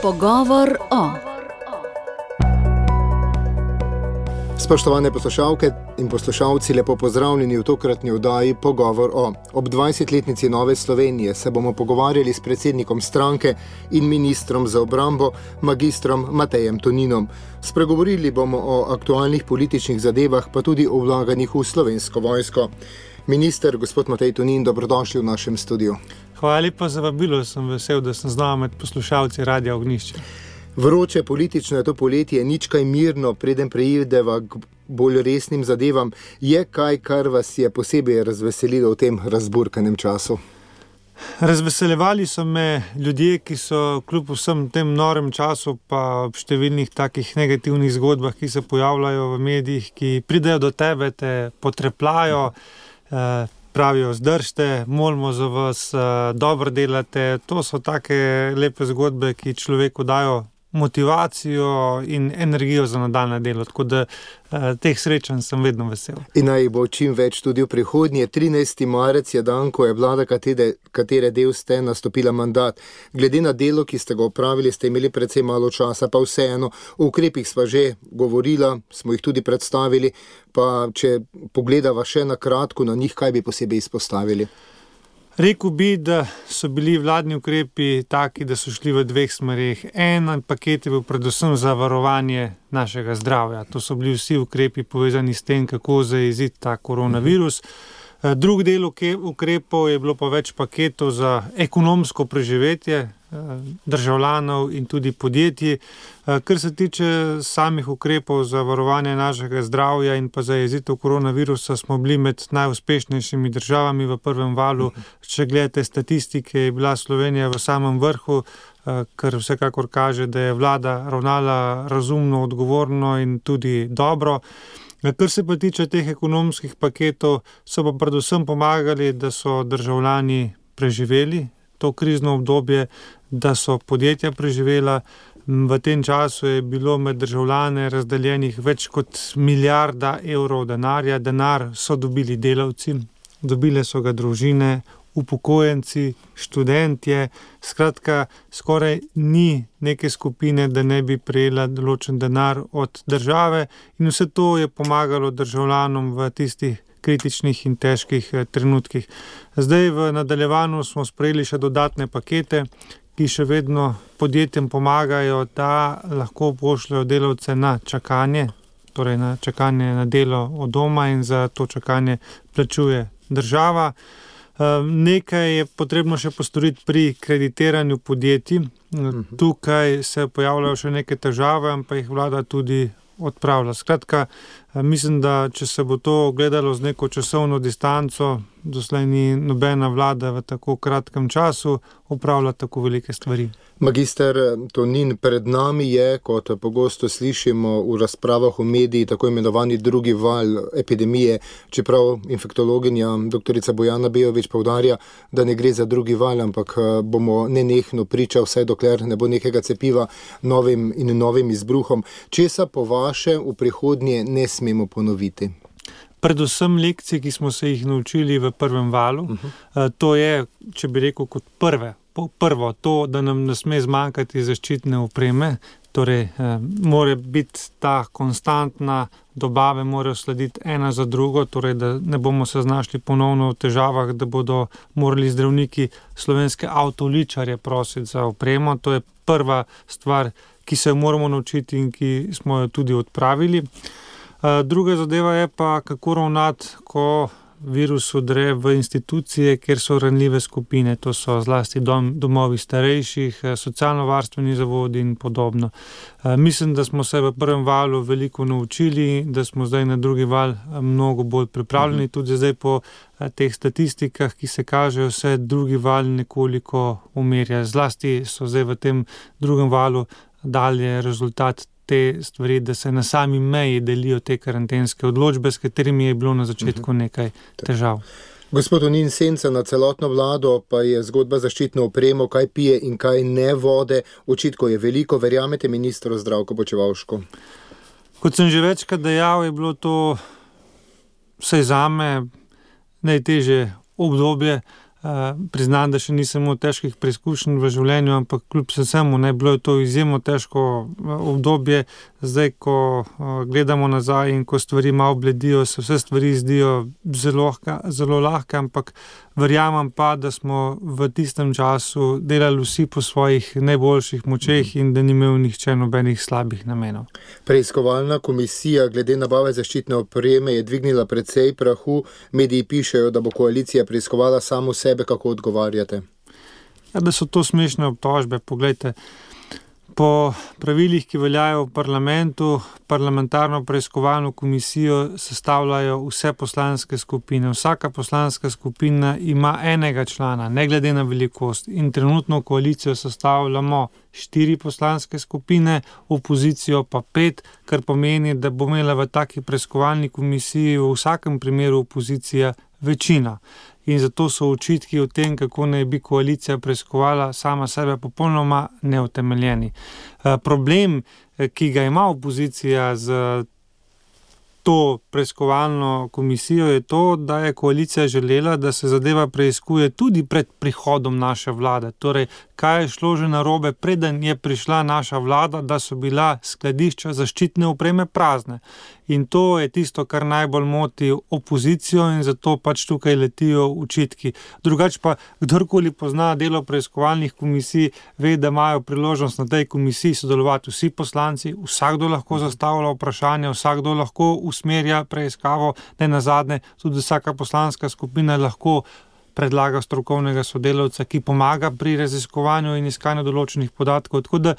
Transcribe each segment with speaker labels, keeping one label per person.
Speaker 1: Pogovor o.
Speaker 2: Spoštovane poslušalke in poslušalci, lepo pozdravljeni v tokratni oddaji Pogovor o. Ob 20-letnici Nove Slovenije se bomo pogovarjali s predsednikom stranke in ministrom za obrambo, magistrom Matejem Toninom. Spregovorili bomo o aktualnih političnih zadevah, pa tudi o vlaganjih v Slovensko vojsko. Minister, gospod Matej Tonin, dobrodošli v našem studiu.
Speaker 3: Hvala lepa za vabilo, sem vesel, da sem z nami med poslušalci Radia Ognjišče.
Speaker 2: Vroče politično je to poletje, nič kaj mirno, preden preideva k bolj resnim zadevam. Je kaj, kar vas je posebej razveselilo v tem razburkanem času?
Speaker 3: Razveseljevali so me ljudje, ki so kljub vsem tem norem času, pa ob številnih takih negativnih zgodbah, ki se pojavljajo v medijih, ki pridejo do tebe, te potrepljajo, pravijo, zdržite, molimo za vas, dobro delate. To so take lepe zgodbe, ki človeku dajo motivacijo in energijo za nadaljnje delo, tako da teh srečanj sem vedno vesel.
Speaker 2: In naj bo čim več tudi v prihodnje. 13. marec je dan, ko je vlada, katere del ste, nastopila mandat. Glede na delo, ki ste ga opravili, ste imeli precej malo časa, pa vseeno, o ukrepih sva že govorila, smo jih tudi predstavili, pa če pogledava še na kratko na njih, kaj bi posebej izpostavili?
Speaker 3: Rekel bi, da so bili vladni ukrepi taki, da so šli v dveh smereh. En paket je bil predvsem za varovanje našega zdravja. To so bili vsi ukrepi povezani s tem, kako zajeziti ta koronavirus. Drug del ukrepov je bilo pa več paketov za ekonomsko preživetje državljanov in tudi podjetij. Kar se tiče samih ukrepov za varovanje našega zdravja in pa zajezitev koronavirusa, smo bili med najuspešnejšimi državami v prvem valu. Če gledate statistike, je bila Slovenija v samem vrhu, kar vsekakor kaže, da je vlada ravnala razumno, odgovorno in tudi dobro. Kar se pa tiče teh ekonomskih paketov, so pa predvsem pomagali, da so državljani preživeli to krizno obdobje, da so podjetja preživela. V tem času je bilo med državljane razdeljenih več kot 1 milijarda evrov denarja. Denar so dobili delavci, dobile so ga družine, upokojenci, študentje. Skratka, skoraj ni neke skupine, da ne bi prejela določen denar od države, in vse to je pomagalo državljanom v tistih kritičnih in težkih trenutkih. Zdaj v nadaljevanju smo sprejeli še dodatne pakete, ki še vedno podjetjem pomagajo, da lahko pošljajo delavce na čakanje, torej na čakanje na delo od doma, in za to čakanje plačuje država. Nekaj je potrebno še postoriti pri kreditiranju podjetij. Tukaj se pojavljajo še neke težave, ampak jih vlada tudi odpravlja. Skratka, mislim, da če se bo to gledalo z neko časovno distanco, doslej ni nobena vlada v tako kratkem času opravlja tako velike stvari.
Speaker 2: Magister Tonin, pred nami je, kot pogosto slišimo v razpravah v mediji, tako imenovani drugi val epidemije, čeprav infektologinja doktorica Bojana Bejović poudarja, da ne gre za drugi val, ampak bomo nenehno priča, vsaj dokler ne bo nekega cepiva novim izbruhom. Česa po vaše v prihodnje ne smemo ponoviti?
Speaker 3: Predvsem lekcije, ki smo se jih naučili v prvem valu. To je, če bi rekel, kot prvo to, da nam ne sme zmanjkati zaščitne opreme, torej mora biti ta konstantna dobave, morajo slediti ena za drugo, torej da ne bomo se znašli ponovno v težavah, da bodo morali zdravniki slovenske avtoličarje prositi za opremo. To je prva stvar, ki se jo moramo naučiti in ki smo jo tudi odpravili. Druga zadeva je pa, kako ravnati, ko virus vdre v institucije, kjer so ranljive skupine. To so zlasti domovi starejših, socialno-varstveni zavodi in podobno. Mislim, da smo se v prvem valu veliko naučili, da smo zdaj na drugi val mnogo bolj pripravljeni. Tudi zdaj po teh statistikah, ki se kažejo, se drugi val nekoliko umirja. Zlasti so zdaj v tem drugem valu dalje rezultat te stvari, da se na sami meji delijo te karantenske odločbe, s katerimi je bilo na začetku nekaj težav.
Speaker 2: Gospod Tonin, senca na celotno vlado pa je zgodba zaščitno opremo, kaj pije in kaj ne vode. Očitkov je veliko, verjamete ministru Zdravku Počivalšku?
Speaker 3: Kot sem že večkrat dejal, je bilo to vsaj zame najtežje obdobje Priznam, da še nisem imel težkih preizkušenj v življenju, ampak kljub vsemu, bilo je to izjemno težko obdobje. Zdaj, ko gledamo nazaj in ko stvari malo bledijo, se vse stvari zdijo zelo lahke, ampak verjamem pa, da smo v tistem času delali vsi po svojih najboljših močeh in da ni imel nihče nobenih slabih namenov.
Speaker 2: Preiskovalna komisija glede nabave zaščitne opreme je dvignila precej prahu. Mediji pišejo, da bo koalicija preiskovala samo sebe. Kako odgovarjate?
Speaker 3: Da so to smešne obtožbe. Poglejte, po pravilih, ki veljajo v parlamentu, parlamentarno preiskovalno komisijo sestavljajo vse poslanske skupine. Vsaka poslanska skupina ima enega člana, ne glede na velikost. In trenutno koalicijo sestavljamo 4 poslanske skupine, opozicijo pa 5, kar pomeni, da bo imela v taki preiskovalni komisiji v vsakem primeru opozicija večina. In zato so očitki o tem, kako naj bi koalicija preiskovala sama sebe, popolnoma neutemeljeni. Problem, ki ga ima opozicija z to preiskovalno komisijo, je to, da je koalicija želela, da se zadeva preiskuje tudi pred prihodom naše vlade. Torej, kaj je šlo že narobe, preden je prišla naša vlada, da so bila skladišča zaščitne opreme prazne. In to je tisto, kar najbolj moti opozicijo in zato pač tukaj letijo očitki. Drugače pa, kdorkoli pozna delo preiskovalnih komisij, ve, da imajo priložnost na tej komisiji sodelovati vsi poslanci, vsakdo lahko zastavlja vprašanja, vsakdo lahko usmerja preiskavo, ne nazadnje, tudi vsaka poslanska skupina lahko predlaga strokovnega sodelavca, ki pomaga pri raziskovanju in iskanju določenih podatkov. Tako da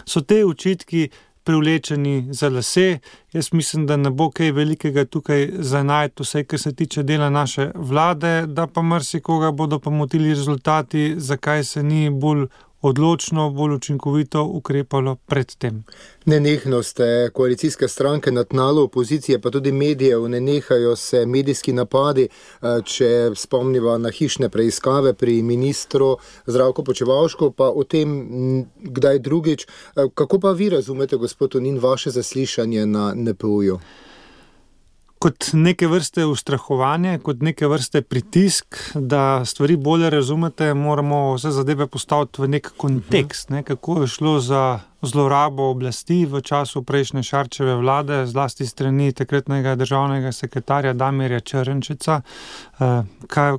Speaker 3: so te očitki privlečeni za lase. Jaz mislim, da ne bo kaj velikega tukaj za najti, vse, kar se tiče dela naše vlade, da pa marsikoga bodo pa motili rezultati, zakaj se ni bolj odločno, bolj učinkovito ukrepalo pred tem.
Speaker 2: Nenehno ste koalicijske stranke na tnalu opozicije, pa tudi medijev, ne nehajo se medijski napadi, če spomniva na hišne preiskave pri ministru Zdravku Počivalšku, pa o tem kdaj drugič. Kako pa vi razumete, gospod Tonin, vaše zaslišanje na NPU-ju?
Speaker 3: Kot neke vrste ustrahovanje, kot neke vrste pritisk, da stvari bolje razumete, moramo vse zadeve postaviti v nek kontekst, kako je šlo za zlorabo oblasti v času prejšnje Šarčeve vlade, zlasti strani takratnega državnega sekretarja Damirja Črnčeca.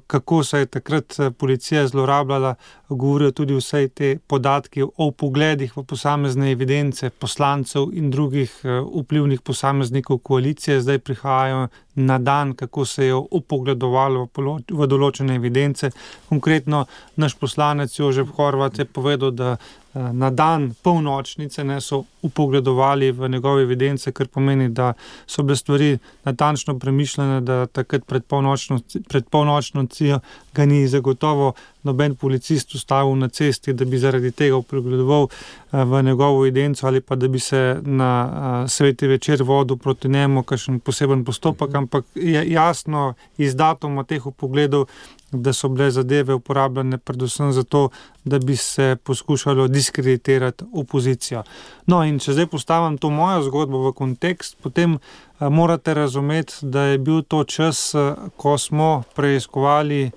Speaker 3: Kako se je takrat policija zlorabljala, govorijo tudi vse te podatki o vpogledih v posamezne evidence poslancev in drugih vplivnih posameznikov koalicije. Zdaj prihajajo na dan, kako se je vpogledovalo v določene evidence. Konkretno naš poslanec Jožef Horvat je povedal, da na dan polnočnice so vpogledovali v njegove evidence, kar pomeni, da so bile stvari natančno premišljene, da takrat pred polnočnicijo ga ni zagotovo noben policist ustavil na cesti, da bi zaradi tega vpogledoval v njegovo evidenco ali pa da bi se na sveti večer vodil proti njemu kakšen poseben postopek, ampak je jasno iz datuma teh vpogledov, da so bile zadeve uporabljene predvsem zato, da bi se poskušalo diskreditirati opozicijo. No, in če zdaj postavim to mojo zgodbo v kontekst, potem morate razumeti, da je bil to čas, ko smo preiskovali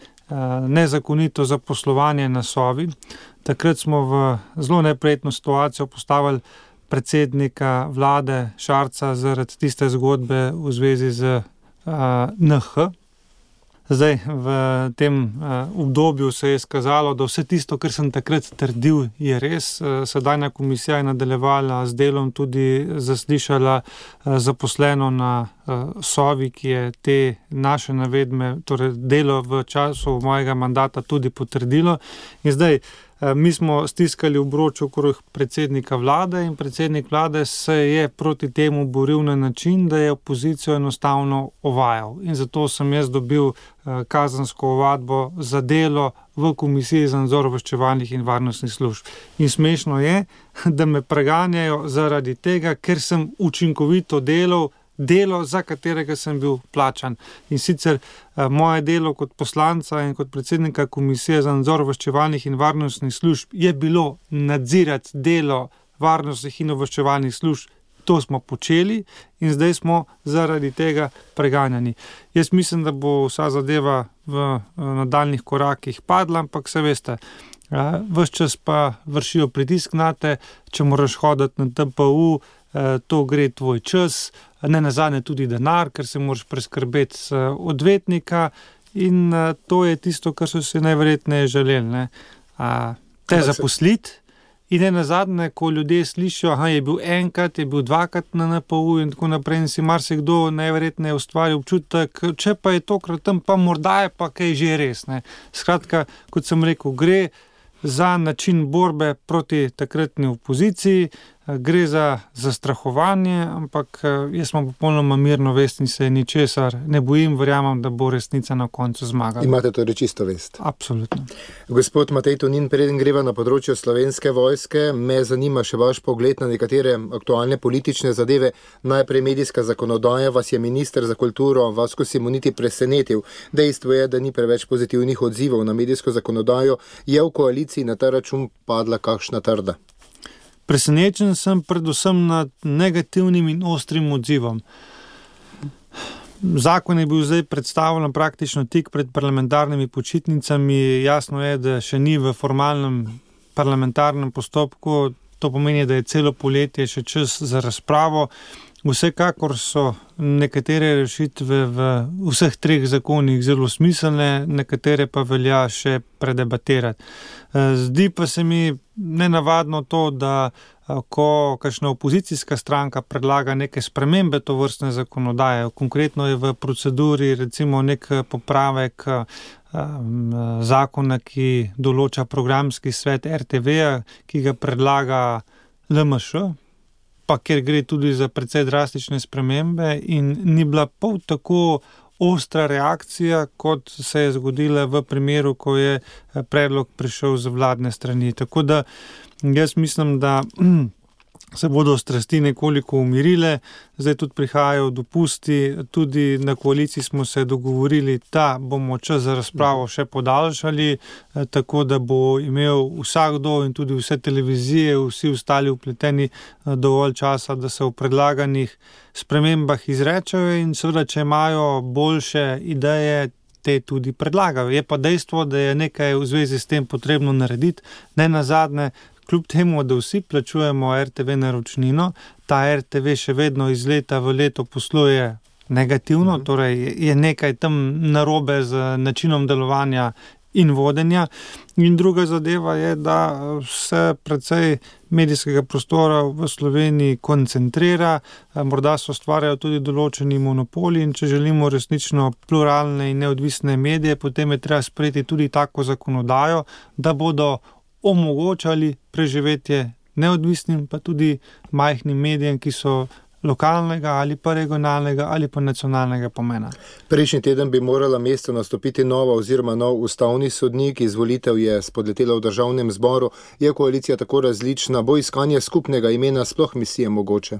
Speaker 3: nezakonito zaposlovanje na Sovi. Takrat smo v zelo neprijetno situacijo postavili predsednika vlade Šarca zaradi tiste zgodbe v zvezi z NH. Zdaj, v tem obdobju se je skazalo, da vse tisto, kar sem takrat trdil, je res. Sedajna komisija je nadaljevala z delom, tudi zaslišala zaposleno na Sovi, ki je te naše navedbe, torej delo v času mojega mandata tudi potrdilo. In zdaj, mi smo stiskali obroč okrog predsednika vlade in predsednik vlade se je proti temu boril na način, da je opozicijo enostavno ovajal. In zato sem jaz dobil kazensko ovadbo za delo v Komisiji za nadzor obveščevalnih in varnostnih služb. In smešno je, da me preganjajo zaradi tega, ker sem učinkovito delal delo, za katerega sem bil plačan. In sicer moje delo kot poslanca in kot predsednika Komisije za nadzor obveščevalnih in varnostnih služb je bilo nadzirati delo varnostnih in obveščevalnih služb to smo počeli in zdaj smo zaradi tega preganjani. Jaz mislim, da bo vsa zadeva v nadaljnih korakih padla, ampak se veste, ves čas pa vršijo pritisk nate, če moraš hoditi na TPU, to gre tvoj čas, ne nazadnje tudi denar, ker se moraš preskrbeti odvetnika in to je tisto, kar so se najverjetneje želeli, ne? Te zaposliti in ne nazadnje, ko ljudje slišijo, je bil enkrat, je bil dvakrat na NPU in tako naprej in si marsikdo najverjetneje ustvari občutek, če pa je tokrat tam, pa morda je pa kaj že res, ne? Skratka, kot sem rekel, gre za način borbe proti takratni opoziciji, gre za zastrahovanje, ampak jaz sem popolnoma mirno vest in se ničesar ne bojim, verjamem, da bo resnica na koncu zmagala.
Speaker 2: Imate torej čisto vest?
Speaker 3: Absolutno.
Speaker 2: Gospod Matej Tonin, preden greva na področje Slovenske vojske, me zanima še vaš pogled na nekatere aktualne politične zadeve. Najprej medijska zakonodaja, vas je minister za kulturo Vasko Simoniti presenetil. Dejstvo je, da ni preveč pozitivnih odzivov na medijsko zakonodajo. Je v koaliciji na ta račun padla kakšna trda?
Speaker 3: Presenečen sem predvsem nad negativnim in ostrim odzivom. Zakon je bil zdaj predstavljen praktično tik pred parlamentarnimi počitnicami. Jasno je, da še ni v formalnem parlamentarnem postopku. To pomeni, da je celo poletje še čas za razpravo. Vsekakor so nekatere rešitve v vseh treh zakonih zelo smiselne, nekatere pa velja še predebatirati. Zdi pa se mi nenavadno to, da ko kakšna opozicijska stranka predlaga neke spremembe tovrstne zakonodaje, konkretno je v proceduri recimo nek popravek zakona, ki določa programski svet RTV-ja, ki ga predlaga LMŠ, pa ker gre tudi za precej drastične spremembe in ni bila pol tako ostra reakcija, kot se je zgodila v primeru, ko je predlog prišel z vladne strani. Tako da jaz mislim, da se bodo strasti nekoliko umirile, zdaj tudi prihajajo dopusti, tudi na koaliciji smo se dogovorili, da bomo čas za razpravo še podaljšali, tako da bo imel vsakdo in tudi vse televizije, vsi ostali vpleteni dovolj časa, da se v predlaganih spremembah izrečejo in seveda, če imajo boljše ideje, te tudi predlagajo. Je pa dejstvo, da je nekaj v zvezi s tem potrebno narediti, ne nazadnje. Kljub temu, da vsi plačujemo RTV naročnino, ta RTV še vedno iz leta v leto posluje negativno, torej je nekaj tam narobe z načinom delovanja in vodenja. In druga zadeva je, da se precej medijskega prostora v Sloveniji koncentrira, morda se ustvarjajo tudi določeni monopoli in če želimo resnično pluralne in neodvisne medije, potem je treba sprejeti tudi tako zakonodajo, da bodo omogočali preživetje neodvisnim, pa tudi majhnim medijem, ki so lokalnega ali pa regionalnega ali pa nacionalnega pomena.
Speaker 2: Prejšnji teden bi morala mesto nastopiti nova oziroma nov ustavni sodnik, izvolitev je spodletela v državnem zboru. Je koalicija tako različna, bo iskanje skupnega imena sploh misije mogoče?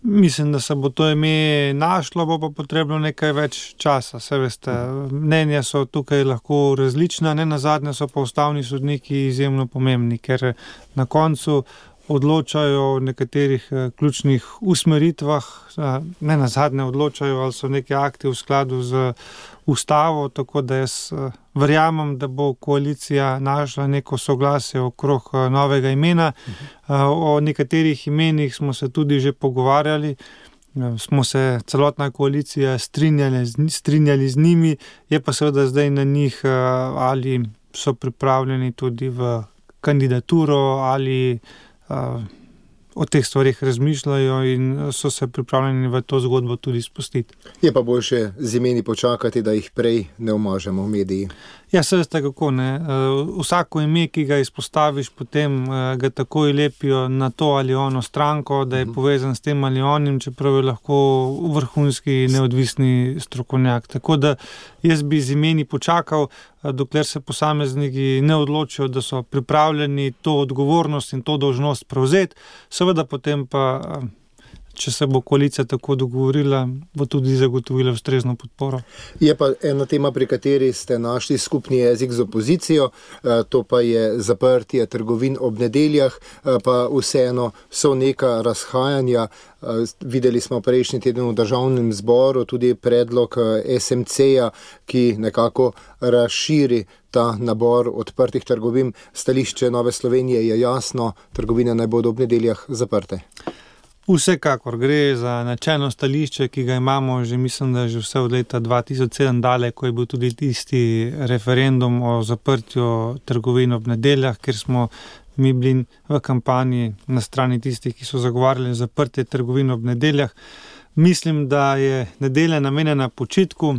Speaker 3: Mislim, da se bo to ime našlo, bo pa potrebno nekaj več časa. Se veste, mnenja so tukaj lahko različna, ne nazadnje so pa ustavni sodniki izjemno pomembni, ker na koncu odločajo o nekaterih ključnih usmeritvah, ne nazadnje odločajo, ali so neki akti v skladu z ustavo, tako da jaz verjamem, da bo koalicija našla neko soglasje okrog novega imena. O nekaterih imenih smo se tudi že pogovarjali, smo se celotna koalicija strinjali z njimi, je pa seveda zdaj na njih, ali so pripravljeni tudi v kandidaturo ali o teh stvarih razmišljajo in so se pripravljeni v to zgodbo tudi spustiti.
Speaker 2: Je pa boljše z imeni počakati, da jih prej ne omažemo v mediji.
Speaker 3: Ja, se veste kako, ne. Vsako ime, ki ga izpostaviš, potem ga takoj lepijo na to ali ono stranko, da je povezan s tem ali onim, čeprav je lahko vrhunski neodvisni strokovnjak. Tako da jaz bi z imeni počakal, dokler se posamezniki ne odločijo, da so pripravljeni to odgovornost in to dolžnost prevzeti. Seveda potem pa, če se bo koalicija tako dogovorila, bo tudi zagotovila ustrezno podporo.
Speaker 2: Je pa ena tema, pri kateri ste našli skupni jezik z opozicijo, to pa je zaprtje trgovin ob nedeljah, pa vseeno so neka razhajanja. Videli smo prejšnji teden v Državnem zboru tudi predlog SMC-ja, ki nekako razširi ta nabor odprtih trgovin. Stališče Nove Slovenije je jasno, trgovine naj bodo ob nedeljah zaprte.
Speaker 3: Vsekakor gre za načelno stališče, ki ga imamo mislim, da že vse od leta 2007 dalje, ko je bil tudi tisti referendum o zaprtju trgovin ob nedeljah, ker smo mi bili v kampanji na strani tistih, ki so zagovarjali zaprtje trgovin ob nedeljah. Mislim, da je nedelja namenjena počitku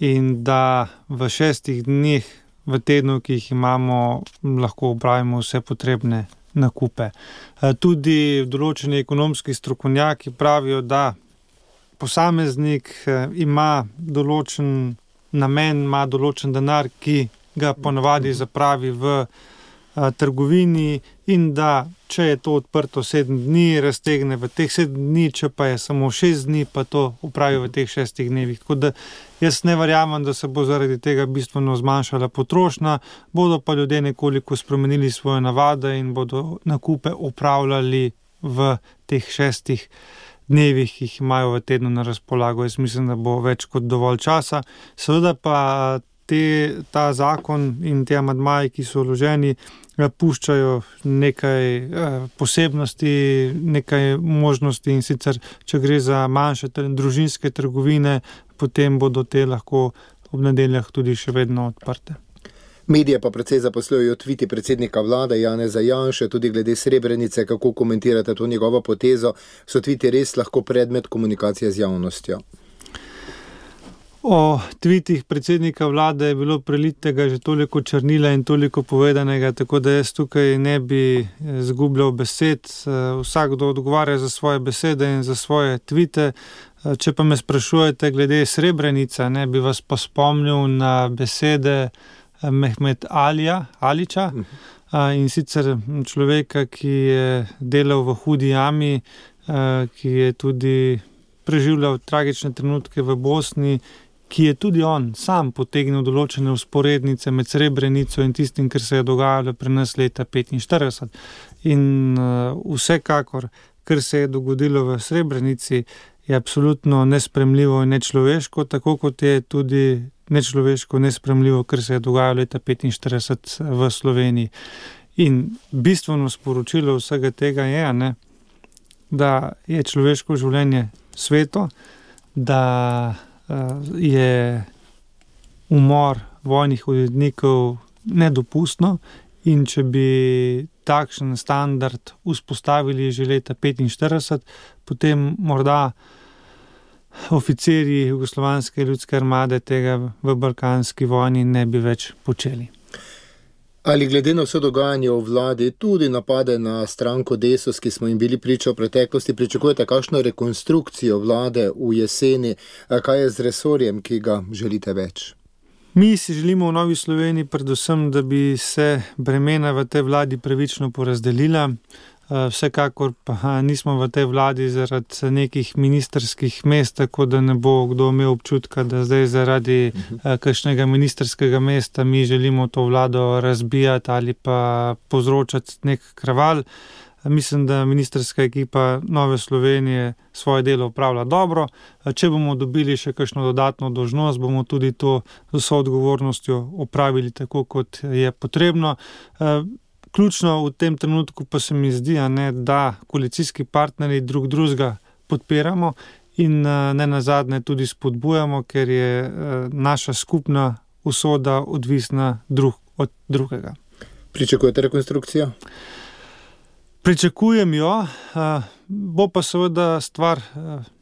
Speaker 3: in da v 6 dneh v tednu, ki jih imamo, lahko opravimo vse potrebne nakupe. Tudi določeni ekonomski strokovnjaki pravijo, da posameznik ima določen namen, ima določen denar, ki ga ponavadi zapravi v trgovini in da če je to odprto 7 dni, raztegne v teh 7 dni, če pa je samo 6 dni, pa to upravi v teh 6 dnevih. Tako da jaz ne verjamem, da se bo zaradi tega bistveno zmanjšala potrošnja, bodo pa ljudje nekoliko spremenili svoje navade in bodo nakupe opravljali v teh 6 dnevih, ki jih imajo v tednu na razpolago. Jaz mislim, da bo več kot dovolj časa. Seveda pa ta zakon in te amadmaji, ki so vloženi, puščajo nekaj posebnosti, nekaj možnosti, in sicer, če gre za manjše družinske trgovine, potem bodo te lahko ob nedeljah tudi še vedno odprte.
Speaker 2: Medije pa precej zaposlujejo tviti predsednika vlade Janeza Janše, tudi glede Srebrenice. Kako komentirate to njegovo potezo? So tviti res lahko predmet komunikacije z javnostjo?
Speaker 3: O tvitih predsednika vlade je bilo prelitega že toliko črnila in toliko povedanega, tako da jaz tukaj ne bi zgubljal besed. Vsakdo odgovarja za svoje besede in za svoje tvite. Če pa me sprašujete glede Srebrenice, bi vas pa spomnil na besede Mehmet Alića, in sicer človeka, ki je delal v hudi jami, ki je tudi preživljal tragične trenutke v Bosni, ki je tudi on sam potegnil določene vzporednice med Srebrenico in tistim, kar se je dogajalo pri nas leta 1945. In vsekakor, kar se je dogodilo v Srebrenici, je absolutno nespremljivo in nečloveško, tako kot je tudi nečloveško, nespremljivo, kar se je dogajalo leta 1945 v Sloveniji. In bistveno sporočilo vsega tega je, da je človeško življenje sveto, da je umor vojnih urednikov nedopustno, in če bi takšen standard vzpostavili že leta 1945, potem morda oficirji Jugoslovanske ljudske armade tega v balkanski vojni ne bi več počeli.
Speaker 2: Ali glede na vse dogajanje v vladi, tudi napade na stranko Desus, ki smo jim bili priča v preteklosti, pričakujete kakšno rekonstrukcijo vlade v jeseni? Kaj je z resorjem, ki ga želite več?
Speaker 3: Mi si želimo v Novi Sloveniji predvsem, da bi se bremena v tej vladi pravično porazdelila. Vsekakor pa nismo v tej vladi zaradi nekih ministrskih mest, tako da ne bo kdo imel občutka, da zdaj zaradi kakšnega ministrskega mesta mi želimo to vlado razbijati ali pa povzročati nek kraval. Mislim, da ministrska ekipa Nove Slovenije svoje delo opravlja dobro. Če bomo dobili še kakšno dodatno dolžnost, bomo tudi to z vso odgovornostjo opravili tako, kot je potrebno. Ključno v tem trenutku pa se mi zdi, da koalicijski partnerji drug drugega podpiramo in ne nazadnje tudi spodbujamo, ker je naša skupna usoda odvisna drug od drugega.
Speaker 2: Pričakujete rekonstrukcijo?
Speaker 3: Pričakujem jo, bo pa seveda stvar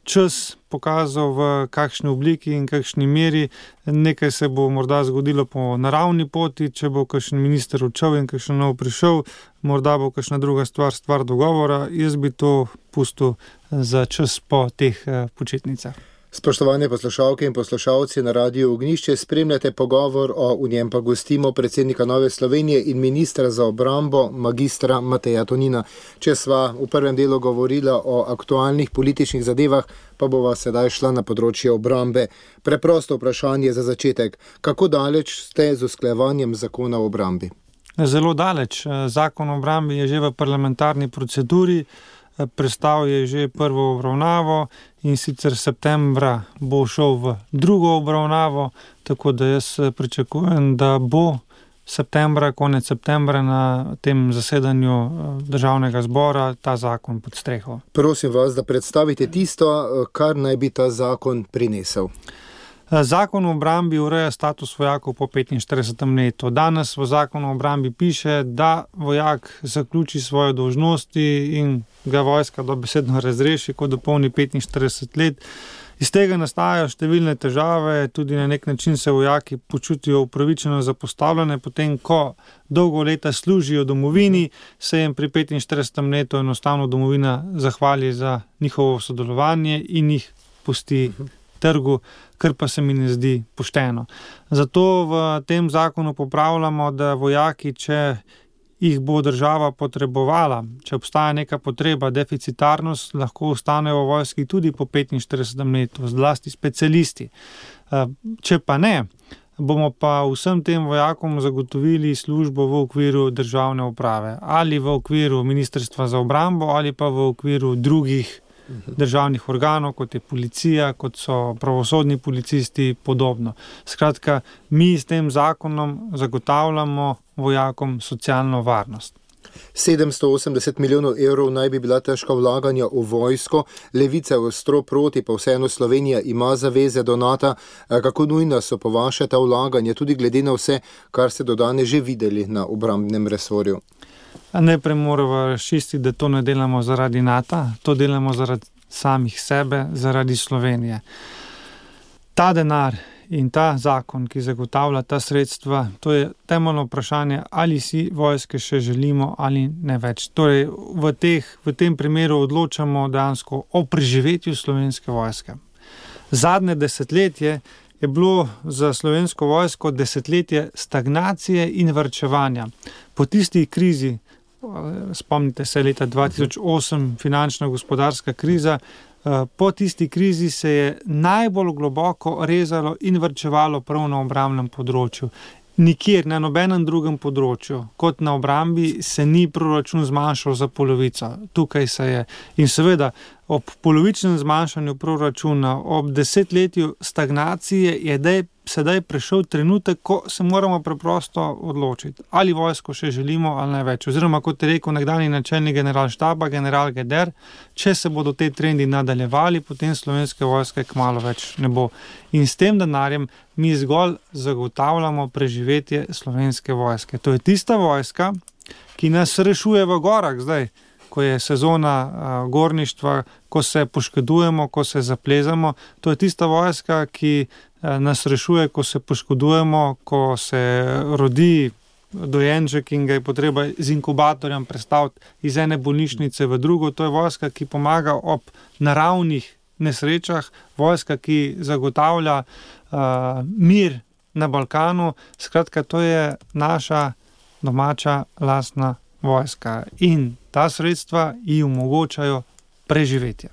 Speaker 3: čas pokazal, v kakšni obliki in kakšni meri. Nekaj se bo morda zgodilo po naravni poti, če bo kakšen minister odšel in kakšen nov prišel, morda bo kakšna druga stvar dogovora. Jaz bi to pustil za čas po teh počitnicah.
Speaker 2: Spoštovane poslušalke in poslušalci na Radiu Ognjišče, spremljate pogovor v njem pa gostimo predsednika Nove Slovenije in ministra za obrambo, magistra Mateja Tonina. Če sva v prvem delu govorila o aktualnih političnih zadevah, pa bova sedaj šla na področje obrambe. Preprosto vprašanje za začetek. Kako daleč ste z usklajevanjem zakona o obrambi?
Speaker 3: Zelo daleč. Zakon o obrambi je že v parlamentarni proceduri. Prestal je že prvo obravnavo in sicer septembra bo šel v drugo obravnavo, tako da jaz pričakujem, da bo konec septembra na tem zasedanju Državnega zbora ta zakon pod streho.
Speaker 2: Prosim vas, da predstavite tisto, kar naj bi ta zakon prinesel.
Speaker 3: Zakon o obrambi ureja status vojakov po 45. letu. Danes v zakonu o obrambi piše, da vojak zaključi svoje dolžnosti in ga vojska dobesedno razreši, ko dopolni 45 let. Iz tega nastajajo številne težave, tudi na nek način se vojaki počutijo upravičeno zapostavljene, potem ko dolgo leta služijo domovini, se jim pri 45. letu enostavno domovina zahvali za njihovo sodelovanje in jih pusti trgu, kar pa se mi ne zdi pošteno. Zato v tem zakonu popravljamo, da vojaki, če jih bo država potrebovala, če obstaja neka potreba, deficitarnost, lahko ostanejo v vojski tudi po 45. letu, zlasti specialisti. Če pa ne, bomo pa vsem tem vojakom zagotovili službo v okviru državne uprave, ali v okviru Ministrstva za obrambo, ali pa v okviru drugih državnih organov, kot je policija, kot so pravosodni policisti, podobno. Skratka, mi s tem zakonom zagotavljamo vojakom socialno varnost.
Speaker 2: 780 milijonov evrov naj bi bila težka vlaganja v vojsko, Levica je ostro proti, pa vseeno Slovenija ima zaveze do NATO. Kako nujna so po vaše ta vlaganja, tudi glede na vse, kar ste do danes že videli na obrambnem resorju?
Speaker 3: Najprej moramo razčistiti, da to ne delamo zaradi NATO, to delamo zaradi samih sebe, zaradi Slovenije. Ta denar in ta zakon, ki zagotavlja ta sredstva, to je temeljno vprašanje, ali si vojske še želimo ali ne več. Torej, v tem primeru odločamo dejansko o preživetju Slovenske vojske. Zadnje desetletje je bilo za Slovensko vojsko desetletje stagnacije in varčevanja. Po tisti krizi, spomnite se leta 2008, finančna gospodarska kriza, po tisti krizi se je najbolj globoko rezalo in varčevalo prav na obrambnem področju. Nikjer, na nobenem drugem področju, kot na obrambi, se ni proračun zmanjšal za polovico. Tukaj se je. In seveda, ob polovičnem zmanjšanju proračuna, ob desetletju stagnacije je sedaj prišel trenutek, ko se moramo preprosto odločiti, ali vojsko še želimo ali ne več. Oziroma, kot je rekel nekdanji načelnik generalštaba, general Geder, če se bodo te trendi nadaljevali, potem Slovenske vojske kmalu več ne bo. In s tem denarjem mi zgolj zagotavljamo preživetje Slovenske vojske. To je tista vojska, ki nas rešuje v gorah zdaj, ko je sezona gorništva, ko se poškodujemo, ko se zaplezamo. To je tista vojska, ki nas rešuje, ko se poškodujemo, ko se rodi dojenček in ga je potreba z inkubatorjem prestaviti iz ene bolnišnice v drugo. To je vojska, ki pomaga ob naravnih nesrečah, vojska, ki zagotavlja mir na Balkanu. Skratka, to je naša domača lastna vojska in ta sredstva ji omogočajo preživetje.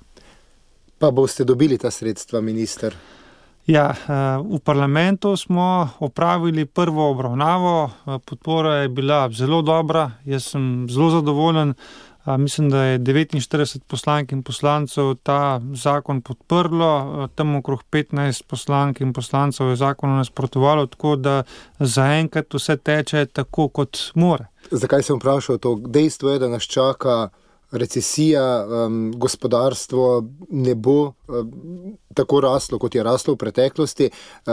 Speaker 2: Pa boste dobili ta sredstva, minister?
Speaker 3: Ja, v parlamentu smo opravili prvo obravnavo, podpora je bila zelo dobra, jaz sem zelo zadovoljen, mislim, da je 49 poslank in poslancev ta zakon podprlo, tam okrog 15 poslank in poslancev je zakonu nasprotovalo, tako da zaenkrat vse teče tako, kot mora.
Speaker 2: Zakaj sem vprašal to? Dejstvo je, da nas čaka recesija, gospodarstvo ne bo tako raslo, kot je raslo v preteklosti.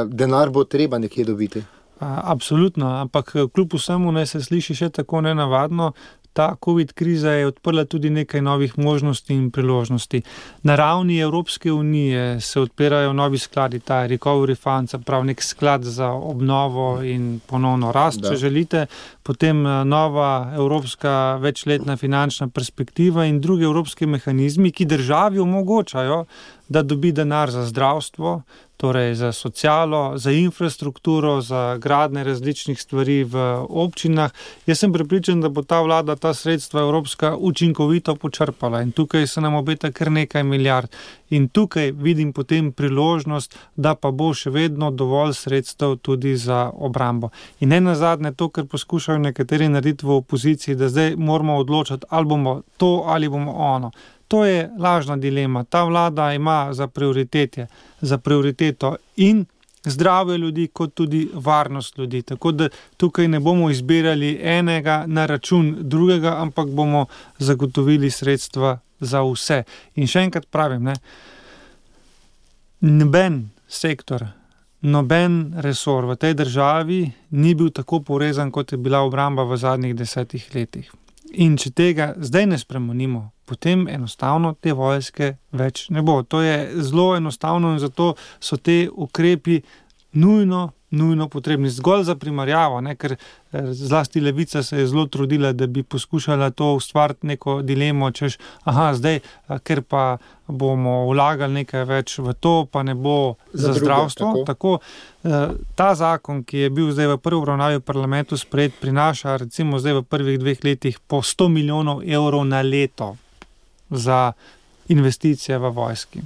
Speaker 2: Denar bo treba nekje dobiti.
Speaker 3: Absolutno, ampak kljub vsemu ne se sliši še tako nenavadno. Ta COVID kriza je odprla tudi nekaj novih možnosti in priložnosti. Na ravni Evropske unije se odpirajo novi skladi, ta Recovery Fund, prav nek sklad za obnovo in ponovno rast, če želite. Potem nova evropska večletna finančna perspektiva in druge evropske mehanizmi, ki državi omogočajo, da dobi denar za zdravstvo, torej za socialo, za infrastrukturo, za gradnje različnih stvari v občinah. Jaz sem prepričan, da bo ta vlada ta sredstva evropska učinkovito počrpala in tukaj se nam obeta kar nekaj milijard. In tukaj vidim potem priložnost, da pa bo še vedno dovolj sredstev tudi za obrambo. In ne nazadnje to, kar poskušajo nekateri narediti v opoziciji, da zdaj moramo odločiti, ali bomo to ali bomo ono. To je lažna dilema. Ta vlada ima za prioriteto in zdravje ljudi, kot tudi varnost ljudi. Tako da tukaj ne bomo izbirali enega na račun drugega, ampak bomo zagotovili sredstva za vse. In še enkrat pravim, noben sektor, noben resor v tej državi ni bil tako porezan, kot je bila obramba v zadnjih 10 letih. In če tega zdaj ne spremenimo, potem enostavno te vojske več ne bo. To je zelo enostavno in zato so te ukrepi nujno potrebni. Zgolj za primerjavo, ker zlasti Levica se je zelo trudila, da bi poskušala to ustvariti neko dilemo, češ, zdaj, ker pa bomo vlagali nekaj več v to, pa ne bo za zdravstvo. Tako, ta zakon, ki je bil zdaj v prvi obravnavi v parlamentu sprejet, prinaša recimo zdaj v prvih 2 letih po 100 milijonov evrov na leto za investicije v vojski.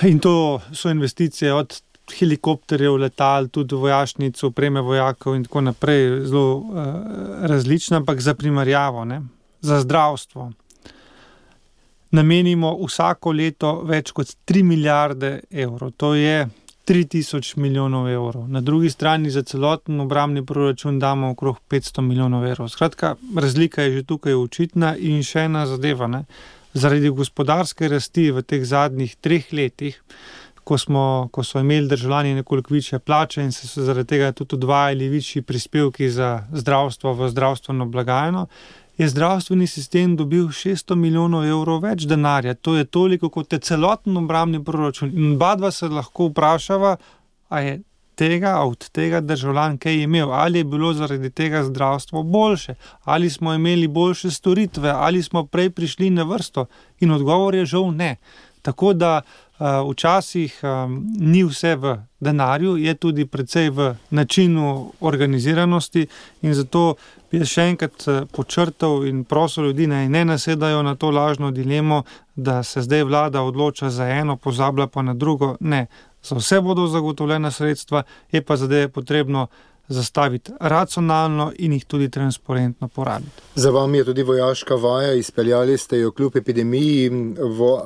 Speaker 3: In to so investicije od helikopterjev, letal, tudi vojašnic, opreme vojakov in tako naprej, zelo različna, ampak za primerjavo, za zdravstvo namenimo vsako leto več kot 3 milijarde evrov. To je 3000 milijonov evrov. Na drugi strani za celoten obrambni proračun damo okrog 500 milijonov evrov. Skratka, razlika je že tukaj očitna in še ena zadeva. Zaradi gospodarske rasti v teh zadnjih 3 letih, ko so imeli državljani nekoliko višje plače in se zaradi tega tudi odvajali višji prispevki za zdravstvo v zdravstveno blagajno, je zdravstveni sistem dobil 600 milijonov evrov več denarja. To je toliko, kot je celoten obrambni proračun. In oba se lahko vprašava, a je od tega državljan kaj imel, ali je bilo zaradi tega zdravstvo boljše, ali smo imeli boljše storitve, ali smo prej prišli na vrsto. In odgovor je žal ne. Tako da včasih ni vse v denarju, je tudi precej v načinu organiziranosti in zato bi še enkrat podčrtal in prosil ljudi, naj ne nasedajo na to lažno dilemo, da se zdaj vlada odloča za eno, pozablja pa na drugo. Ne, za vse bodo zagotovljena sredstva, je pa zadeve potrebno zastaviti racionalno in jih tudi transparentno porabiti.
Speaker 2: Za vami je tudi vojaška vaja, izpeljali ste jo kljub epidemiji.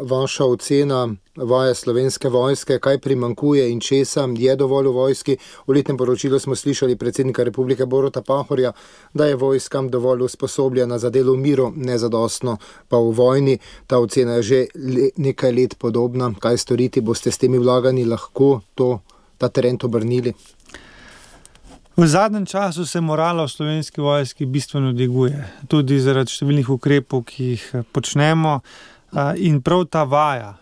Speaker 2: Vaša ocena vaje Slovenske vojske, kaj primanjkuje in česa je dovolj v vojski? V letnem poročilu smo slišali predsednika Republike Boruta Pahorja, da je vojskam dovolj usposobljena za delo v miru, nezadostno pa v vojni. Ta ocena je že nekaj let podobna. Kaj storiti? Boste s temi vlaganji lahko ta trend obrnili?
Speaker 3: V zadnjem času se morala v Slovenski vojski bistveno dviguje, tudi zaradi številnih ukrepov, ki jih počnemo, in prav ta vaja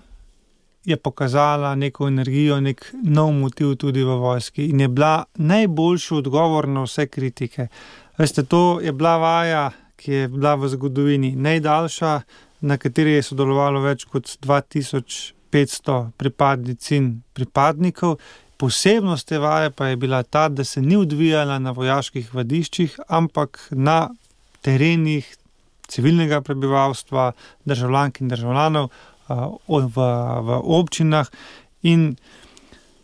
Speaker 3: je pokazala neko energijo, nek nov motiv tudi v vojski in je bila najboljši odgovor na vse kritike. Veste, to je bila vaja, ki je bila v zgodovini najdaljša, na kateri je sodelovalo več kot 2500 pripadnic in pripadnikov. Posebnost te vaje pa je bila ta, da se ni odvijala na vojaških vadiščih, ampak na terenih civilnega prebivalstva, državljank in državljanov v občinah. In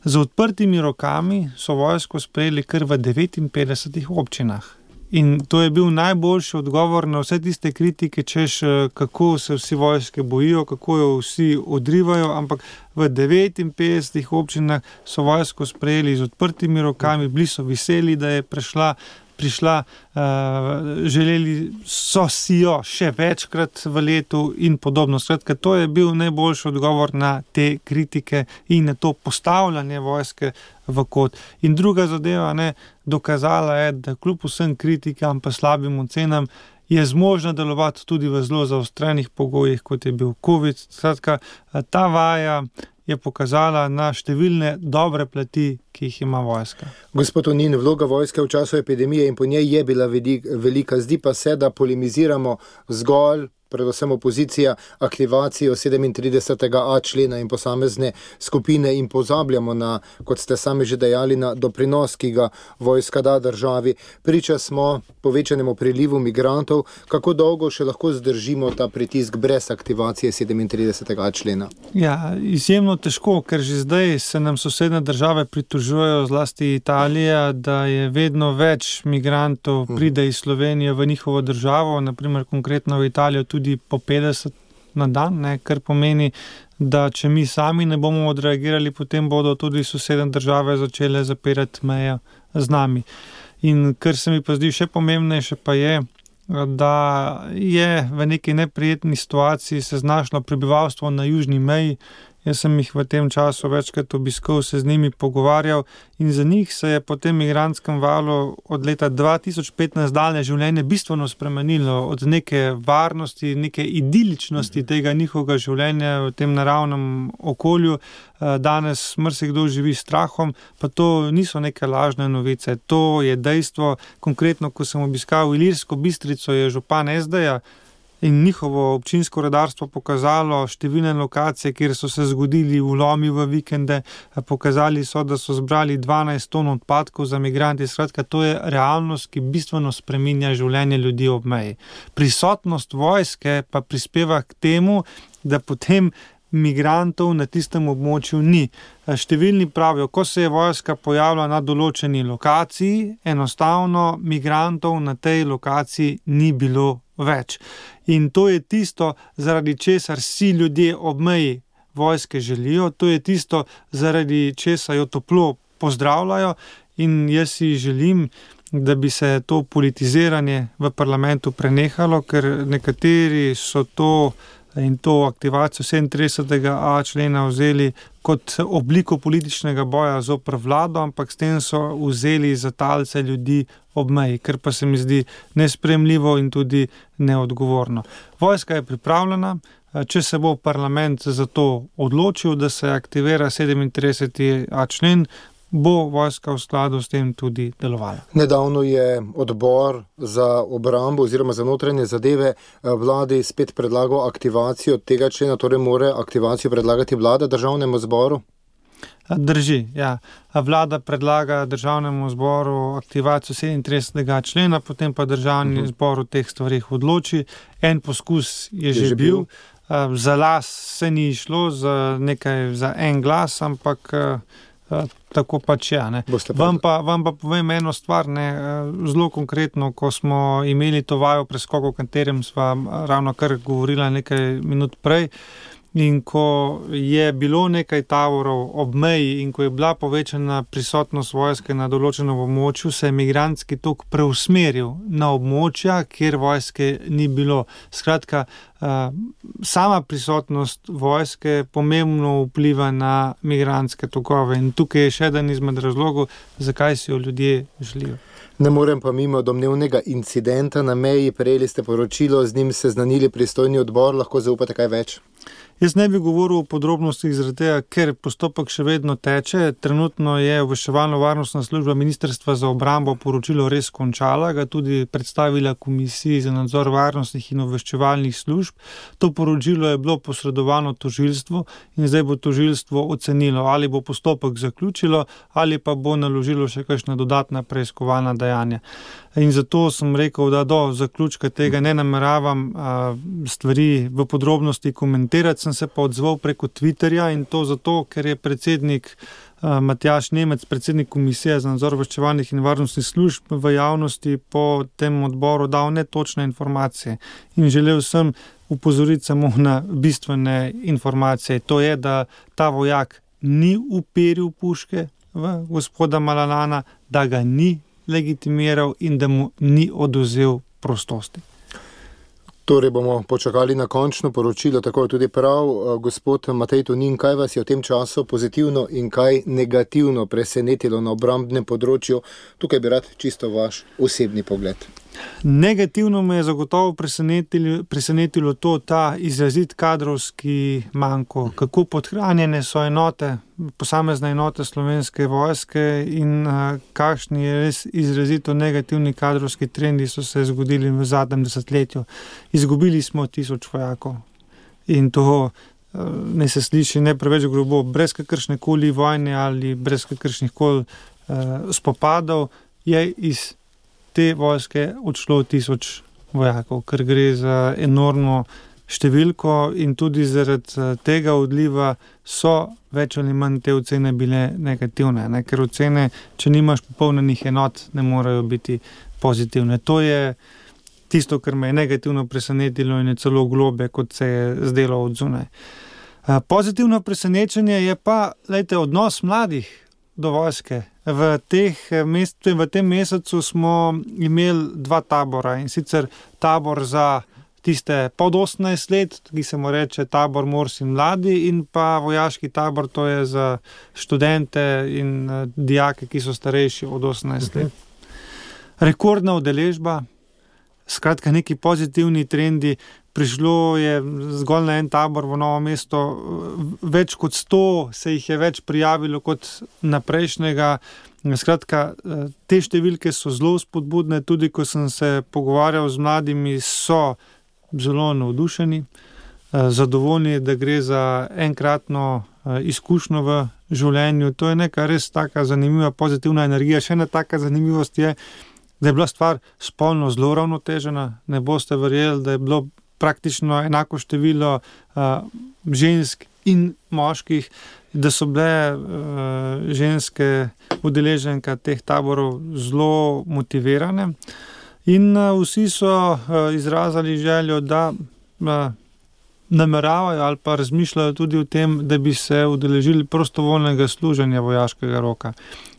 Speaker 3: z odprtimi rokami so vojsko sprejeli kar v 59 občinah. In to je bil najboljši odgovor na vse tiste kritike, češ kako se vsi vojske bojijo, kako jo vsi odrivajo, ampak v 59 občinah so vojsko sprejeli z odprtimi rokami, bili so veseli, da je prišla, želeli so si jo še večkrat v letu in podobno. Skratka, to je bil najboljši odgovor na te kritike in na to postavljanje vojske v kot. In druga zadeva, dokazala je, da kljub vsem kritikam pa slabim ocenam je zmožna delovati tudi v zelo zaostrenih pogojih, kot je bil COVID. Skratka, ta vaja je pokazala na številne dobre plati, ki jih ima vojska.
Speaker 2: Gospod Tonin, vloga vojske v času epidemije in po njej je bila velika. Zdi pa se, da polemiziramo zgolj predvsem opozicija, aktivacijo 37.a člena in posamezne skupine in pozabljamo na, kot ste sami že dejali, na doprinos, ki ga vojska da državi. Priča smo povečanemu prilivu migrantov. Kako dolgo še lahko zdržimo ta pritisk brez aktivacije 37.a člena?
Speaker 3: Ja, izjemno težko, ker že zdaj se nam sosedne države pritožujejo, zlasti Italija, da je vedno več migrantov pride iz Slovenije v njihovo državo, naprimer konkretno v Italijo tudi po 50 na dan, kar pomeni, da če mi sami ne bomo odreagirali, potem bodo tudi sosedne države začele zapirati meje z nami. In kar se mi pa zdi še pomembnejše pa je, da je v neki neprijetni situaciji se znašlo prebivalstvo na južni meji. Jaz sem jih v tem času večkrat obiskal, se z njimi pogovarjal in za njih se je po tem migrantskem valu od leta 2015 dalje življenje bistveno spremenilo, od neke varnosti, neke idiličnosti tega njihovega življenja v tem naravnem okolju. Danes marsikdo živi s strahom, pa to niso neke lažne novice, to je dejstvo. Konkretno, ko sem obiskal Ilirsko Bistrico, je župan SD-ja in njihovo občinsko redarstvo pokazalo številne lokacije, kjer so se zgodili vlomi v vikende, pokazali so, da so zbrali 12 ton odpadkov za migranti. Skratka, to je realnost, ki bistveno spreminja življenje ljudi ob meji. Prisotnost vojske pa prispeva k temu, da potem migrantov na tistem območju ni. Številni pravijo, ko se je vojska pojavila na določeni lokaciji, enostavno migrantov na tej lokaciji ni bilo več. In to je tisto, zaradi česar vsi ljudje ob meji vojske želijo, to je tisto, zaradi česar jo toplo pozdravljajo in jaz si želim, da bi se to politiziranje v parlamentu prenehalo, ker nekateri so to in to aktivacijo 37.a člena vzeli kot obliko političnega boja zoper vlado, ampak s tem so vzeli za talce ljudi ob meji, kar pa se mi zdi nesprejemljivo in tudi neodgovorno. Vojska je pripravljena, če se bo parlament za to odločil, da se aktivira 37.a člen, bo vojska v skladu s tem tudi delovala.
Speaker 2: Nedavno je odbor za obrambo oziroma za notranje zadeve vladi spet predlagal aktivacijo tega člena, torej mora aktivacijo predlagati vlada državnemu zboru?
Speaker 3: Drži, ja. Vlada predlaga državnemu zboru aktivacijo 37. člena, potem pa državni zbor o teh stvarih odloči. En poskus je že bil. Za las se ni išlo, za en glas, ampak tako pač je. Vam pa povem eno stvar, zelo konkretno, ko smo imeli to vajo preskokov, o katerem sva ravno kar govorila nekaj minut prej, in ko je bilo nekaj tavorov ob meji in ko je bila povečana prisotnost vojske na določenem območju, se je migrantski tok preusmeril na območja, kjer vojske ni bilo. Skratka, sama prisotnost vojske pomembno vpliva na migrantske tokove in tukaj je še eden izmed razlogov, zakaj si jo ljudje želijo.
Speaker 2: Ne morem pa mimo domnevnega incidenta na meji, prejeli ste poročilo, z njim seznanili pristojni odbor, lahko zaupate kaj več?
Speaker 3: Jaz ne bi govoril o podrobnostih zaradi tega, ker postopek še vedno teče. Trenutno je obveščevalno-varnostna služba Ministrstva za obrambo poročilo res končala, ga tudi predstavila Komisiji za nadzor varnostnih in obveščevalnih služb. To poročilo je bilo posredovano tožilstvu in zdaj bo tožilstvo ocenilo, ali bo postopek zaključilo ali pa bo naložilo še kakšna dodatna preiskovalna dejanja. In zato sem rekel, da do zaključka tega ne nameravam stvari v podrobnosti komentirati. Sem se pa odzval preko Twitterja in to zato, ker je predsednik Matjaž Nemec, predsednik Komisije za nadzor obveščevalnih in varnostnih služb v javnosti po tem odboru dal netočne informacije. In želel sem upozoriti samo na bistvene informacije. To je, da ta vojak ni uperil puške v gospoda Malalana, da ga ni legitimiral in da mu ni odvzel prostosti.
Speaker 2: Torej bomo počakali na končno poročilo, tako je tudi prav. Gospod Matej Tonin, kaj vas je v tem času pozitivno in kaj negativno presenetilo na obrambnem področju? Tukaj bi rad čisto vaš osebni pogled.
Speaker 3: Negativno me je zagotovo presenetilo ta izrazit kadrovski manko, kako podhranjene so enote, posamezne enote Slovenske vojske in kakšni res izrazito negativni kadrovski trendi so se zgodili v zadnjem desetletju. Izgubili smo 1000 vojakov in to ne se sliši ne preveč grobo, brez kakršnekoli vojne ali brez kakršnih koli spopadov je iz te vojske odšlo 1000 vojakov, ker gre za enormno številko in tudi zaradi tega odliva so več ali manj te ocene bile negativne, ne? Ker ocene, če nimaš popolnenih enot, ne morejo biti pozitivne. To je tisto, kar me je negativno presenetilo in je celo globlje, kot se je zdelo od zunaj. Pozitivno presenečenje je pa, odnos mladih do vojske. V tem mesecu smo imeli 2 tabora, in sicer tabor za tiste pod 18 let, ki se mu reče tabor Mors in mladi, in pa vojaški tabor, to je za študente in dijake, ki so starejši od 18 let. Rekordna udeležba, skratka neki pozitivni trendi. Prišlo je zgolj na en tabor v Novo mesto, več kot 100 se jih je več prijavilo kot na prejšnjega. Skratka, te številke so zelo spodbudne, tudi ko sem se pogovarjal z mladimi, so zelo navdušeni, zadovoljni, da gre za enkratno izkušnjo v življenju. To je neka res taka zanimiva, pozitivna energija. Še ena taka zanimivost je, da je bila stvar spolno zelo ravnotežena. Ne boste verjeli, da je bilo praktično enako število žensk in moških, da so bile ženske udeleženke teh taborov zelo motivirane in vsi so izrazili željo, da nameravajo ali pa razmišljajo tudi o tem, da bi se udeležili prostovoljnega služenja vojaškega roka.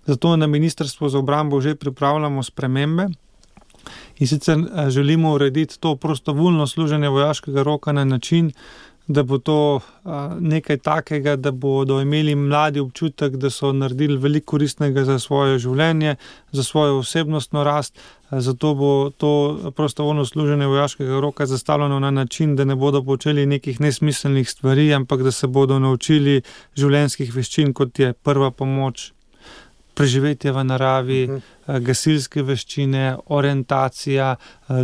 Speaker 3: Zato na Ministrstvu za obrambo že pripravljamo spremembe. In sicer želimo urediti to prostovoljno služenje vojaškega roka na način, da bo to nekaj takega, da bodo imeli mladi občutek, da so naredili veliko koristnega za svoje življenje, za svojo osebnostno rast. Zato bo to prostovoljno služenje vojaškega roka zastavljeno na način, da ne bodo počeli nekih nesmiselnih stvari, ampak da se bodo naučili življenjskih veščin, kot je prva pomoč, preživetje v naravi, gasilske veščine, orientacija,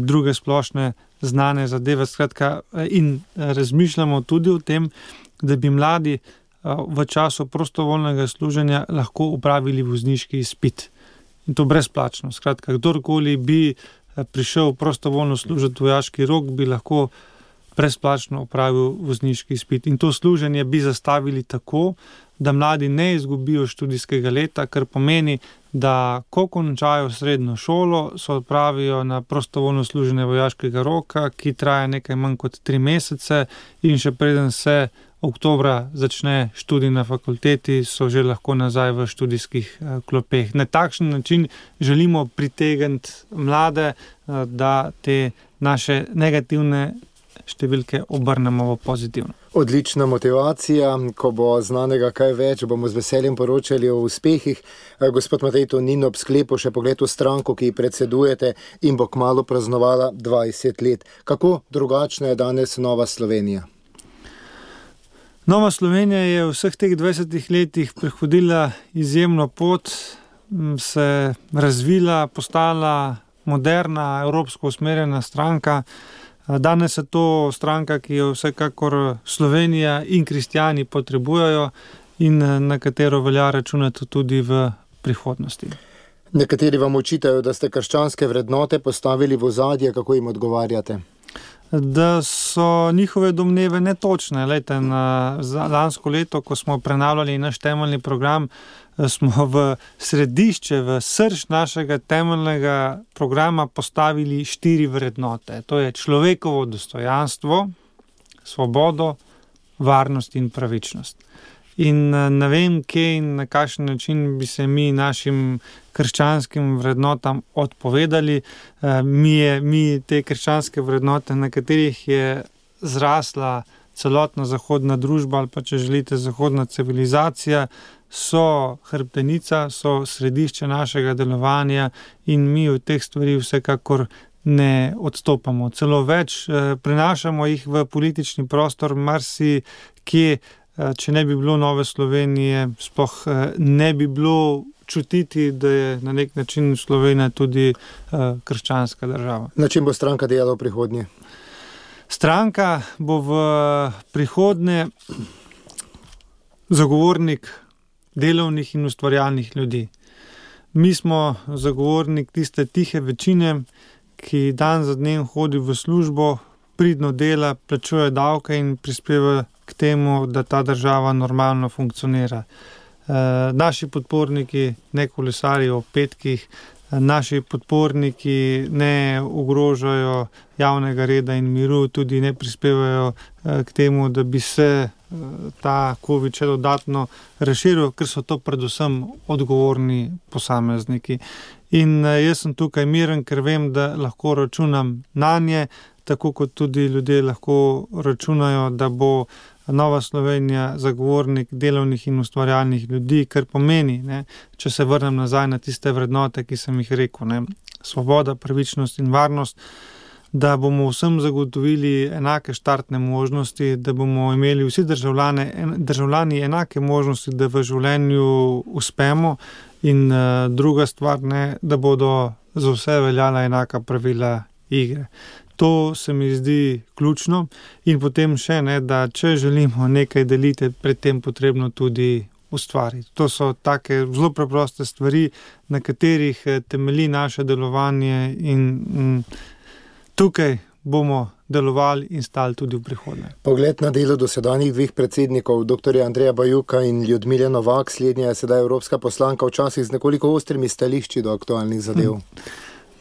Speaker 3: druge splošne znane zadeve. Skratka, in razmišljamo tudi o tem, da bi mladi v času prostovoljnega služenja lahko opravili vozniški izpit. In to brezplačno. Skratka, kdorkoli bi prišel prostovoljno služiti vojaški rok, bi lahko brezplačno opravil vozniški izpit. In to služenje bi zastavili tako, da mladi ne izgubijo študijskega leta, kar pomeni, da ko končajo srednjo šolo, se odpravijo na prostovoljno služenje vojaškega roka, ki traja nekaj manj kot 3 mesece in še preden se oktobra začne študij na fakulteti, so že lahko nazaj v študijskih klopeh. Na takšen način želimo pritegniti mlade, da te naše negativne številke obrnemo v pozitivno.
Speaker 2: Odlična motivacija. Ko bo znanega kaj več, bomo z veseljem poročali o uspehih. Gospod Matej Tonin, ob sklepu še pogled v stranko, ki ji predsedujete in bo kmalu praznovala 20 let. Kako drugačna je danes Nova Slovenija?
Speaker 3: Nova Slovenija je v vseh teh 20 letih prehodila izjemno pot, se razvila, postala moderna, evropsko usmerjena stranka. Danes je to stranka, ki jo vsekakor Slovenija in kristjani potrebujejo in na katero velja računati tudi v prihodnosti.
Speaker 2: Nekateri vam očitajo, da ste krščanske vrednote postavili v ozadje, kako jim odgovarjate?
Speaker 3: Da so njihove domneve netočne. Lejte, lansko leto, ko smo prenavljali naš temeljni program, smo v središče, v srž našega temeljnega programa postavili 4 vrednote. To je človekovo dostojanstvo, svobodo, varnost in pravičnost. In ne vem, kje in na kakšen način bi se mi našim krščanskim vrednotam odpovedali. Mi te krščanske vrednote, na katerih je zrasla celotna zahodna družba ali pa, če želite, zahodna civilizacija, so hrbtenica, so središče našega delovanja in mi v teh stvari vsekakor ne odstopamo. Celo več, prenašamo jih v politični prostor, marsikje, če ne bi bilo Nove Slovenije, sploh ne bi bilo čutiti, da je na nek način Slovenija tudi krščanska država.
Speaker 2: Na čem bo stranka delala v prihodnje?
Speaker 3: Stranka bo v prihodnje zagovornik delovnih in ustvarjalnih ljudi. Mi smo zagovornik tiste tihe večine, ki dan za dnem hodi v službo, pridno dela, plačuje davke in prispeva k temu, da ta država normalno funkcionira. Naši podporniki ne kolesarijo v petkih, naši podporniki ne ogrožajo javnega reda in miru, tudi ne prispevajo k temu, da bi se ta COVID še dodatno razširil, ker so to predvsem odgovorni posamezniki. In jaz sem tukaj miren, ker vem, da lahko računam nanje, tako kot tudi ljudje lahko računajo, da bo Nova Slovenija zagovornik delovnih in ustvarjalnih ljudi, kar pomeni, če se vrnem nazaj na tiste vrednote, ki sem jih rekel, svoboda, pravičnost in varnost, da bomo vsem zagotovili enake štartne možnosti, da bomo imeli vsi državljani enake možnosti, da v življenju uspemo, in druga stvar, da bodo za vse veljala enaka pravila igre. To se mi zdi ključno in potem še, da če želimo nekaj deliti, pred tem potrebno tudi ustvariti. To so take zelo preproste stvari, na katerih temelji naše delovanje in tukaj bomo delovali in stali tudi v prihodnje.
Speaker 2: Pogled na delo dosedanjih dveh predsednikov, dr. Andreja Bajuka in Ljudmile Novak, slednja je sedaj evropska poslanka, včasih z nekoliko ostrimi stališči do aktualnih zadev.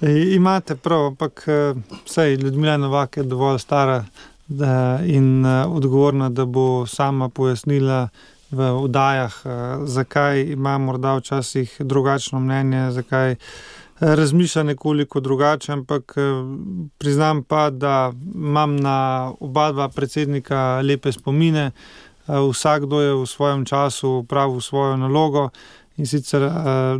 Speaker 3: Imate prav, ampak saj Ljudmila Novak je dovolj stara in odgovorna, da bo sama pojasnila v oddajah, zakaj ima morda včasih drugačno mnenje, zakaj razmišlja nekoliko drugače, ampak priznam pa, da imam na oba dva predsednika lepe spomine. Vsakdo je v svojem času opravil svojo nalogo in sicer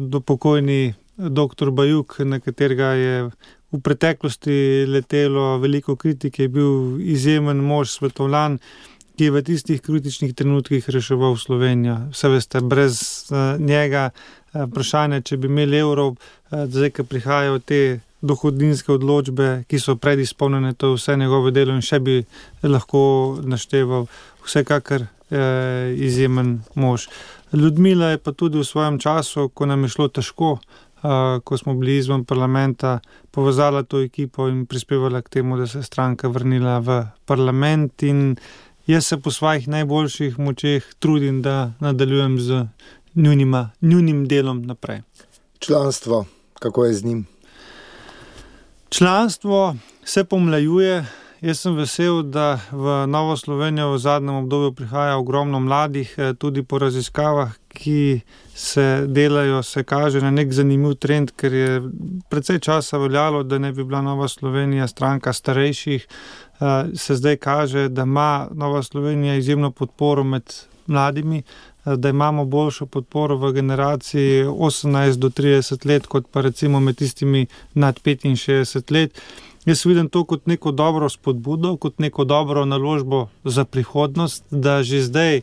Speaker 3: do pokojni dr. Bajuk, na katerega je v preteklosti letelo veliko kritike, je bil izjemen mož, svetovljan, ki je v tistih kritičnih trenutkih reševal Slovenijo. Vse veste, brez njega vprašanje, če bi imeli evro, zdaj, ko prihajajo te dohodninske odločbe, ki so predizpolnjene, to je vse njegove delo in še bi lahko našteval, vsekakor izjemen mož. Ljudmila je pa tudi v svojem času, ko nam je šlo težko, ko smo bili izven parlamenta, povezala to ekipo in prispevala k temu, da se je stranka vrnila v parlament, in jaz se po svojih najboljših močeh trudim, da nadaljujem z njunim delom naprej.
Speaker 2: Članstvo, kako je z njim?
Speaker 3: Članstvo se pomlajuje. Jaz sem vesel, da v Novo Slovenijo v zadnjem obdobju prihaja ogromno mladih, tudi po raziskavah, ki se delajo, se kaže na nek zanimiv trend, ker je precej časa veljalo, da ne bi bila Nova Slovenija stranka starejših. Se zdaj kaže, da ima Nova Slovenija izjemno podporo med mladimi, da imamo boljšo podporo v generaciji 18 do 30 let, kot pa recimo med tistimi nad 65 let. Jaz vidim to kot neko dobro spodbudo, kot neko dobro naložbo za prihodnost, da že zdaj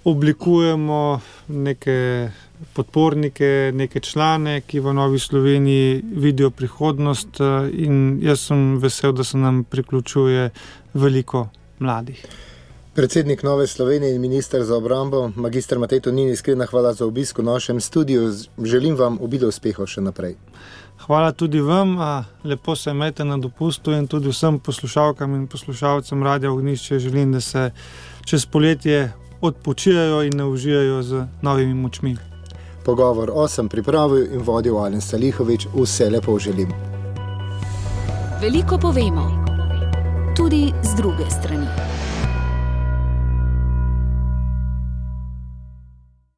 Speaker 3: oblikujemo neke podpornike, neke člane, ki v Novi Sloveniji vidijo prihodnost, in jaz sem vesel, da se nam priključuje veliko mladih.
Speaker 2: Predsednik Nove Slovenije in minister za obrambo, magister Matej Tonin, iskrena hvala za obisk v našem studiu. Želim vam obilo uspehov še naprej.
Speaker 3: Hvala tudi vam, lepo se imejte na dopustu, in tudi vsem poslušalkam in poslušalcem Radia Ognjišče želim, da se čez poletje odpočijajo in ne užijajo z novimi močmi.
Speaker 2: Pogovor sem pripravil in vodil Alen Salihovič. Vse lepo želim.
Speaker 1: Veliko povemo, tudi z druge strani.